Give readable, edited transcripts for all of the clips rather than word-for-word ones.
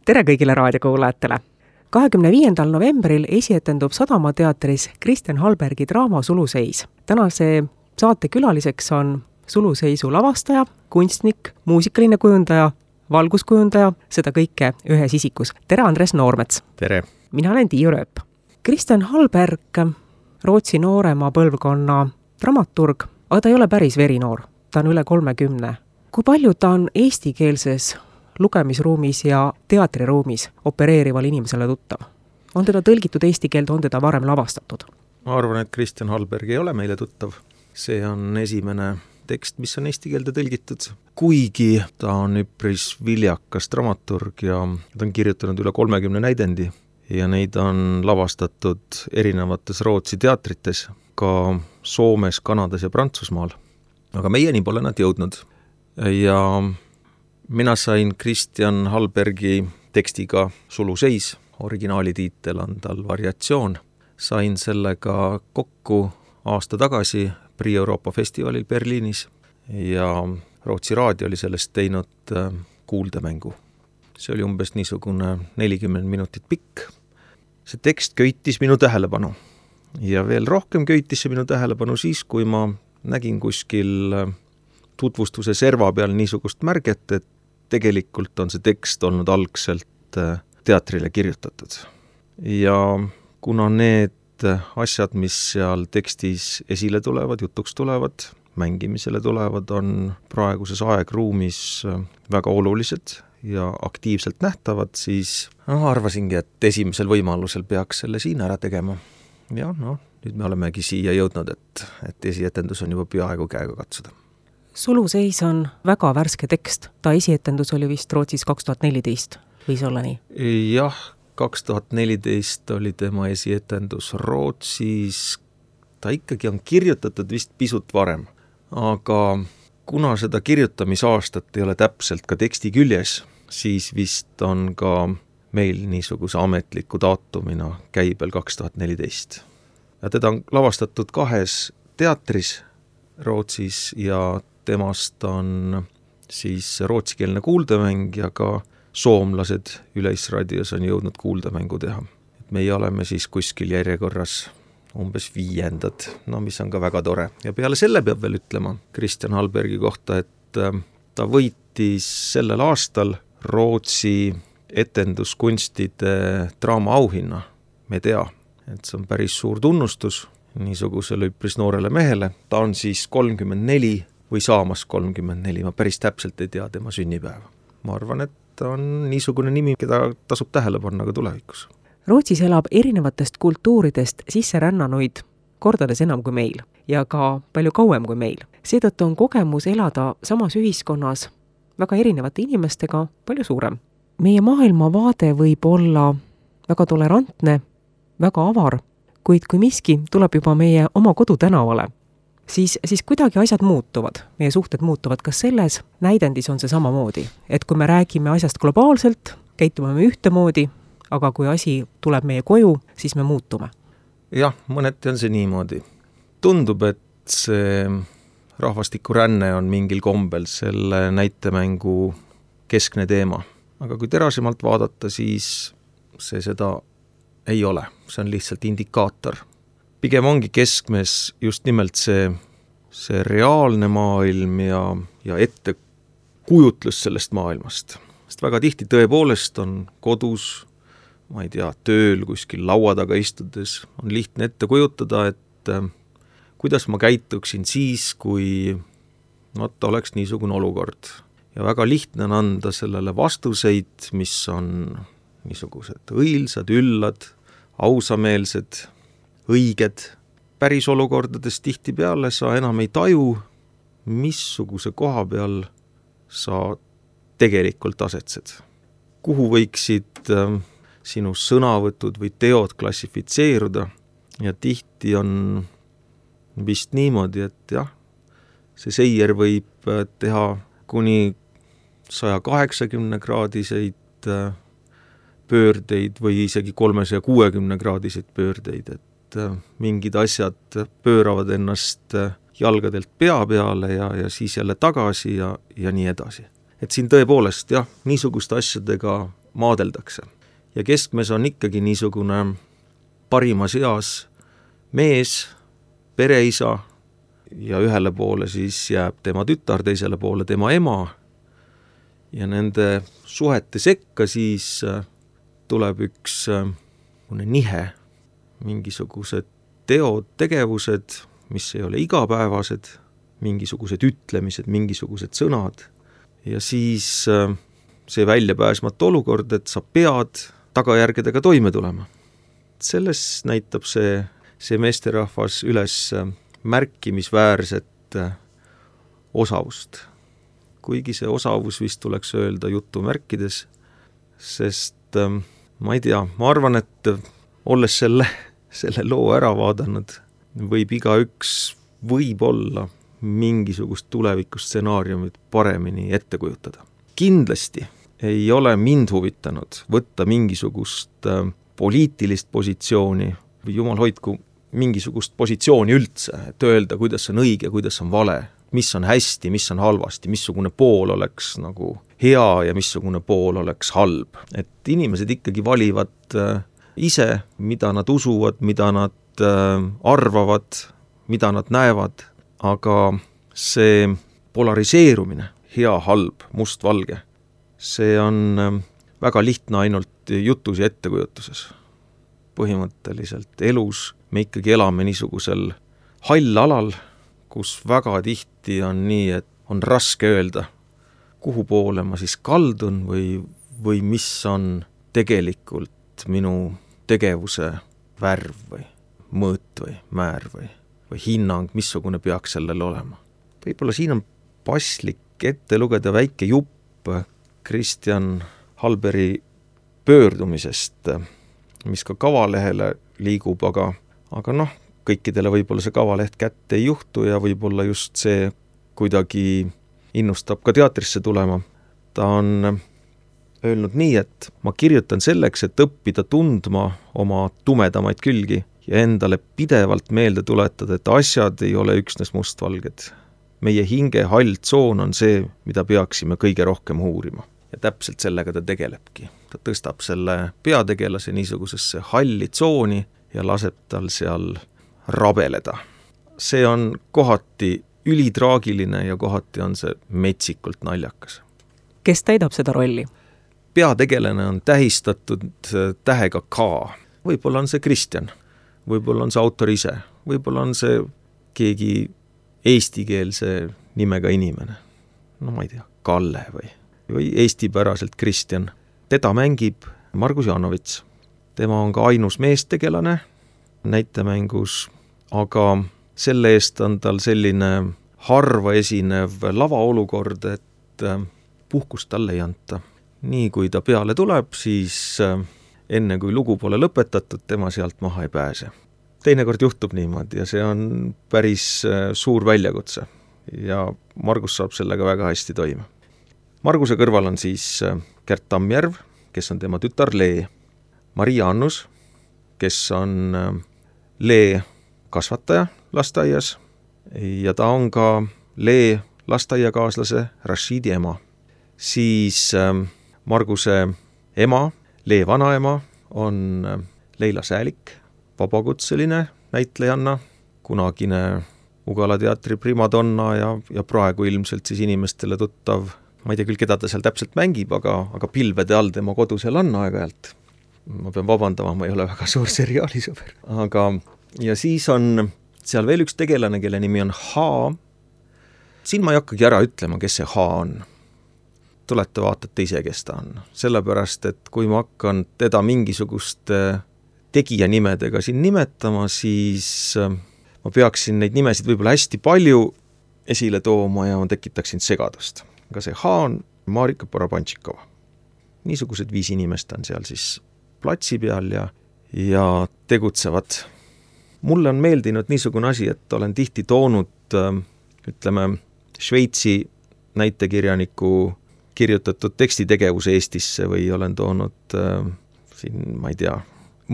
tere kõigile raadiokuulajatele! 25. novembril esietendub Sadamateatris Kristjan Hallbergi draama Suluseis. Tänase saate külaliseks on Suluseisu lavastaja, kunstnik, muusikaline kujundaja, valguskujundaja, seda kõike ühes isikus. Tere, Andres Noormets! Tere! Mina olen Tiiu Rööp. Kristjan Hallberg, Rootsi noorema põlvkonna dramaturg, aga ta ei ole päris verinoor, ta on üle 30. Kui palju ta on eestikeelses lugemisruumis ja teatriruumis opereerival inimesele tuttav? On teda tõlgitud eesti keelde, on teda varem lavastatud? Ma arvan, et Kristjan Hallberg ei ole meile tuttav. See on esimene tekst, mis on eesti keelde tõlgitud. Kuigi ta on üpris viljakas dramaturg ja ta on kirjutanud üle 30 näidendi ja neid on lavastatud erinevates Rootsi teatrites, ka Soomes, Kanadas ja Prantsusmaal. Aga meieni pole nad jõudnud. Ja mina sain Kristjan Hallbergi tekstiga Suluseis, originaalitiitel on tal variatsioon. Sain sellega kokku aasta tagasi Prix Euroopa festivalil Berliinis ja Rootsi raadio oli sellest teinud kuuldemängu. See oli umbes niisugune 40 minutit pikk. See tekst köitis minu tähelepanu ja veel rohkem köitis see minu tähelepanu siis, kui ma nägin kuskil tutvustuse serva peal niisugust märget, et tegelikult on see tekst olnud algselt teatrile kirjutatud. Ja kuna need asjad, mis seal tekstis esile tulevad, jutuks tulevad, mängimisele tulevad, on praeguses aegruumis väga olulised ja aktiivselt nähtavad, siis arvasingi, et esimesel võimalusel peaks selle siin ära tegema. Ja nüüd me olemegi siia jõudnud, et esietendus on juba peaaegu käega katsuda. Suluseis on väga värske tekst. Ta esietendus oli vist Rootsis 2014. Võis olla nii? Jah, 2014 oli tema esietendus Rootsis. Ta ikkagi on kirjutatud vist pisut varem. Aga kuna seda kirjutamisaastat ei ole täpselt ka teksti küljes, siis vist on ka meil niisuguse ametliku daatumina käibel 2014. Ja teda on lavastatud 2 teatris Rootsis ja temast on siis rootsikeelne kuuldemäng ja ka soomlased Üleisradios on jõudnud kuuldemängu teha. Meie oleme siis kuskil järjekorras umbes 5. Mis on ka väga tore. Ja peale selle peab veel ütlema Kristjan Hallbergi kohta, et ta võitis sellel aastal Rootsi etenduskunstide draama auhinna. Me tea, et see on päris suur tunnustus niisugusele üpris noorele mehele. Ta on siis 34 või saamas 34, ma päris täpselt ei tea tema sünnipäeva. Ma arvan, et ta on niisugune nimi, keda tasub tähele panna ka tulevikus. Rootsis elab erinevatest kultuuridest sisserännanuid kordades enam kui meil ja ka palju kauem kui meil. Seetõttu on kogemus elada samas ühiskonnas väga erinevate inimestega palju suurem. Meie maailmavaade võib olla väga tolerantne, väga avar, kuid kui miski tuleb juba meie oma kodutänavale, siis kuidagi asjad muutuvad, meie suhted muutuvad. Kas selles näidendis on see samamoodi? Et kui me räägime asjast globaalselt, käitume me ühtemoodi, aga kui asi tuleb meie koju, siis me muutume. Jah, mõneti on see niimoodi. Tundub, et see rahvastikuränne on mingil kombel selle näitemängu keskne teema. Aga kui terasemalt vaadata, siis see seda ei ole. See on lihtsalt indikaator. Pigem ongi keskmes just nimelt see reaalne maailm ja ettekujutlus sellest maailmast. Sest väga tihti tõepoolest on kodus, ma ei tea, tööl kuskil laua taga istudes, on lihtne ette kujutada, et kuidas ma käituksin siis, kui oleks niisugune olukord. Ja väga lihtne on anda sellele vastuseid, mis on niisugused õilsad, üllad, ausameelsed, õiged. Päris olukordades tihtipeale sa enam ei taju, missuguse koha peal sa tegelikult asetsed. Kuhu võiksid sinu sõnavõtud või teod klassifitseeruda ja tihti on vist niimoodi, et jah, see seier võib teha kuni 180-kraadiseid pöördeid või isegi 360-kraadiseid pöördeid, et mingid asjad pööravad ennast jalgadelt pea peale ja siis jälle tagasi ja nii edasi. Et siin tõepoolest, jah, niisuguste asjadega maadeldakse. Ja keskmes on ikkagi niisugune parimas eas mees, pereisa ja ühele poole siis jääb tema tütar, teisele poole tema ema ja nende suhete sekka siis tuleb üks nihe, mingisugused teod, tegevused, mis ei ole igapäevased, mingisugused ütlemised, mingisugused sõnad ja siis see väljapääsmatu olukord, et sa pead tagajärgedega toime tulema. Selles näitab see meesterahvas üles märkimisväärset osavust. Kuigi see osavus vist tuleks öelda jutumärkides, sest ma ei tea, ma arvan, et olles selle loo ära vaadanud, võib igaüks võib-olla mingisugust tulevikustsenaariumit paremini ette kujutada. Kindlasti ei ole mind huvitanud võtta mingisugust poliitilist positsiooni või jumal hoidku mingisugust positsiooni üldse, et öelda, kuidas on õige, kuidas on vale, mis on hästi, mis on halvasti, missugune pool oleks nagu hea ja missugune pool oleks halb. Et inimesed ikkagi valivad ise, mida nad usuvad, mida nad arvavad, mida nad näevad, aga see polariseerumine, hea, halb, must, valge, see on väga lihtne ainult jutus ja ettekujutuses. Põhimõtteliselt elus me ikkagi elame niisugusel hall alal, kus väga tihti on nii, et on raske öelda, kuhu poole ma siis kaldun või mis on tegelikult minu tegevuse värv või mõõt või määr või hinnang, missugune peaks sellel olema. Võib-olla siin on paslik ette lugeda väike jupp Kristjan Halberi pöördumisest, mis ka kavalehele liigub, aga noh, kõikidele võib-olla see kavaleht kätte ei juhtu ja võib-olla just see kuidagi innustab ka teatrisse tulema. Ta on öelnud nii, et ma kirjutan selleks, et õppida tundma oma tumedamaid külgi ja endale pidevalt meelde tuletada, et asjad ei ole üksnes mustvalged. Meie hinge hall tsoon on see, mida peaksime kõige rohkem uurima. Ja täpselt sellega ta tegelebki. Ta tõstab selle peategelase niisugusesse halli tsooni ja laseb tal seal rabeleda. See on kohati ülitraagiline ja kohati on see metsikult naljakas. Kes täidab seda rolli? Peategelane on tähistatud tähega K. Võib-olla on see Kristjan, võib-olla on see autor ise, võib-olla on see keegi eestikeelse nimega inimene. No ma ei tea, Kalle või eestipäraselt Kristjan. Teda mängib Margus Janovits. Tema on ka ainus meestegelane näitemängus, aga selle eest on tal selline harva esinev lavaolukord, et puhkust talle ei anta. Nii kui ta peale tuleb, siis enne kui lugu pole lõpetatud, tema sealt maha ei pääse. Teinekord juhtub niimoodi ja see on päris suur väljakutse ja Margus saab sellega väga hästi toime. Marguse kõrval on siis Gert Tammjärv, kes on tema tütar Lee, Maria Annus, kes on Lee kasvataja lasteaias ja ta on ka Lee lasteaiakaaslase Rashidi ema. Siis Marguse ema, Lee vanaema, on Leila Säälik, vabakutseline näitlejanna, kunagine Ugala teatri primadonna ja praegu ilmselt siis inimestele tuttav, ma ei tea küll, keda ta seal täpselt mängib, aga pilvede all tema kodu seal on aeg-ajalt. Ma pean vabandama, ma ei ole väga suur seriaalisõber. Ja siis on seal veel üks tegelane, kelle nimi on H. Siin ma ei hakkagi ära ütlema, kes see H on. Tulete vaatate ise, kes ta on. Sellepärast, et kui ma hakkan teda mingisuguste tegija nimedega siin nimetama, siis ma peaksin neid nimesid võib-olla hästi palju esile tooma ja ma tekitaksin segadust. Aga see H on Marika Porobantšikova. Niisugused 5 inimest on seal siis platsi peal ja tegutsevad. Mulle on meeldinud niisugune asi, et olen tihti toonud, ütleme, Šveitsi näitekirjaniku kirjutatud tekstitegevuse Eestisse või olen toonud siin, ma ei tea,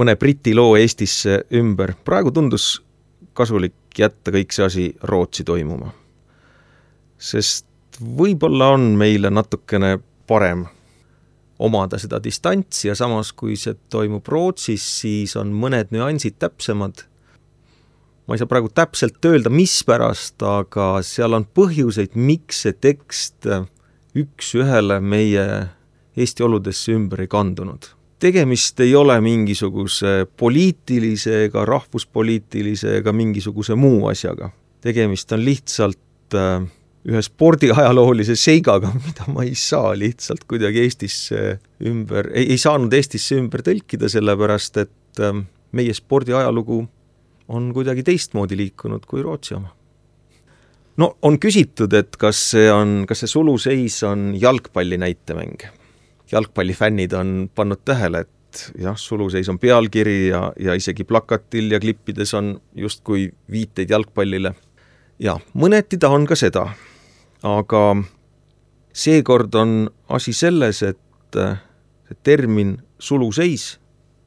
mõne briti loo Eestisse ümber. Praegu tundus kasulik jätta kõik see asi Rootsi toimuma. Sest võib-olla on meile natukene parem omada seda distantsi ja samas, kui see toimub Rootsis, siis on mõned nüansid täpsemad. Ma ei saa praegu täpselt öelda, mispärast, aga seal on põhjuseid, miks see tekst üks ühele meie Eesti oludesse ümber ei kandunud. Tegemist ei ole mingisuguse poliitilise ega rahvuspoliitilise ega mingisuguse muu asjaga. Tegemist on lihtsalt ühe spordiajaloolise seigaga, mida ma ei saa lihtsalt kuidagi Eestisse ümber, ei saanud Eestisse ümber tõlkida, sellepärast et meie spordiajalugu on kuidagi teistmoodi liikunud kui Rootsi oma. No on küsitud, et kas see suluseis on jalgpalli näitemäng. Jalgpallifännid on pannud tähele, et jah, suluseis on pealkiri ja isegi plakatil ja klippides on justkui viiteid jalgpallile. Ja mõneti ta on ka seda, aga seekord on asi selles, et see termin suluseis,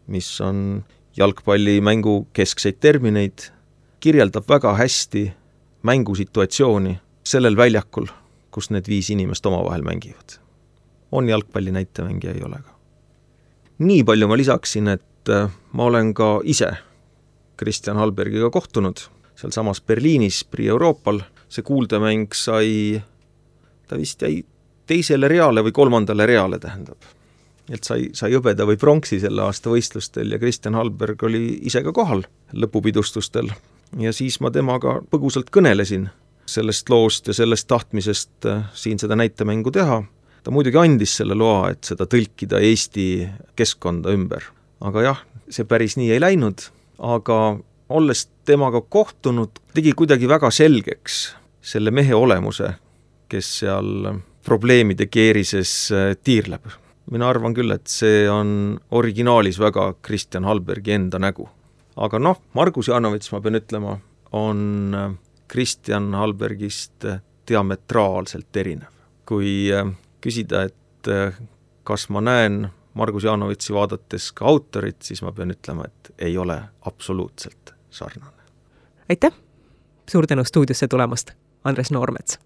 mis on jalgpallimängu keskseid termineid, kirjeldab väga hästi mängusituatsiooni sellel väljakul, kus need 5 inimest omavahel mängivad. On jalgpalli näitemängija, ei ole ka. Nii palju ma lisaksin, et ma olen ka ise Kristjan Hallbergiga kohtunud seal samas Berliinis, Prix Euroopal. See kuuldemäng ta vist jäi 2. reale või 3. reale tähendab. Et sai hõbeda või pronksi selle aasta võistlustel ja Kristjan Hallberg oli ise ka kohal lõpupidustustel. Ja siis ma temaga põgusalt kõnelesin sellest loost ja sellest tahtmisest siin seda näitemängu teha. Ta muidugi andis selle loa, et seda tõlkida Eesti keskkonda ümber. Aga jah, see päris nii ei läinud, aga olles temaga kohtunud, tegi kuidagi väga selgeks selle mehe olemuse, kes seal probleemide keerises tiirleb. Mina arvan küll, et see on originaalis väga Kristjan Hallbergi enda nägu. Aga Margus Janovits, ma pean ütlema, on Kristjan Hallbergist diametraalselt erinev. Kui küsida, et kas ma näen Margus Janovitsi vaadates ka autorit, siis ma pean ütlema, et ei ole absoluutselt sarnane. Aitäh! Suur tänu stuudiosse tulemast, Andres Noormets!